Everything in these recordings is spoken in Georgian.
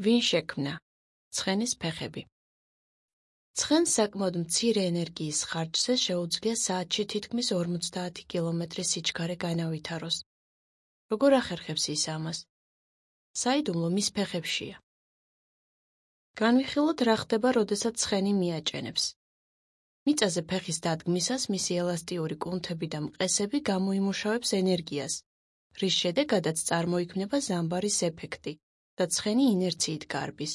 ვინ შექმნა? ცხენის ფეხები. ცხენს საკმაოდ მცირე ენერგიის ხარჯზე შეუძლია საათში თითქმის 50 კილომეტრის სიჩქარე განავითაროს. როგორ ახერხებს ის ამას? საიდუმლო მის ფეხებშია. განვიხილოთ, რა ხდება, როდესაც ცხენი მიაჭენებს. მიწაზე ფეხის დადგმისას მისი ელასტიური კუნთები და მყესები გამოიმუშავებს ენერგიას, რის შედეგადაც წარმოიქმნება ზამბარის ეფექტი და ცხენი ინერციით გარბის.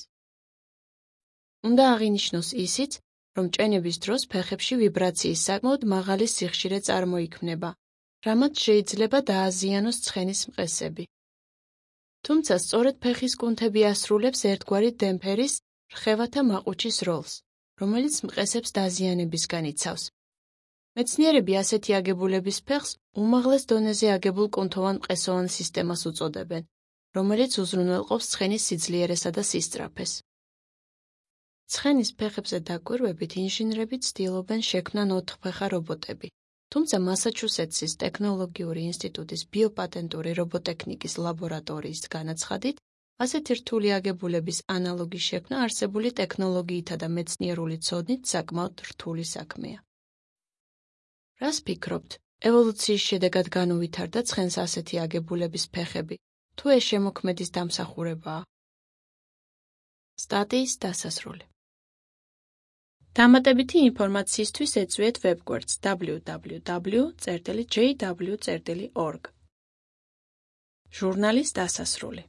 უნდა აღინიშნოს ისიც, რომ ჭენების დროს ფეხებში ვიბრაციის საკმაოდ მაღალი სიხშირე წარმოიქმნება, რამაც შეიძლება დააზიანოს ცხენის მყესები. თუმცა სწორედ ფეხის კუნთები ასრულებს ერთგვარი დემპფერის, რხევათა მაყუჩის როლს, რომელიც მყესებს დაზიანებისგან იცავს. მეცნიერები ასეთი აგებულების ფეხს უმაღლეს დონეზე აგებულ კუნთოვან მყესოვან სისტემას უწოდებენ, რომელიც უზრუნველყოფს ცხენის სიძლიერესა და სისწრაფეს. ცხენის ფეხებზე დაკვირვებით ინჟინრები ცდილობენ შექმნან 4-ფეხა რობოტები, თუმცა მასაჩუსეტსის ტექნოლოგიური ინსტიტუტის ბიოპატენტური რობოტექნიკის ლაბორატორიის განაცხადით, ასეთი რთული აგებულების ანალოგი შექმნა არსებული ტექნოლოგიითა და მეცნიერული ცოდნით საკმაოდ რთული საქმეა. რას ფიქრობთ, ევოლუციის შედეგად განუვითარდა ცხენს ასეთი აგებულების ფეხები, თუ ეს შემოქმედის დამსახურებაა? სტატიის დასასრული. დამატებითი ინფორმაციისთვის ეწვიეთ ვებგვერდს www.jw.org. ჟურნალის დასასრული.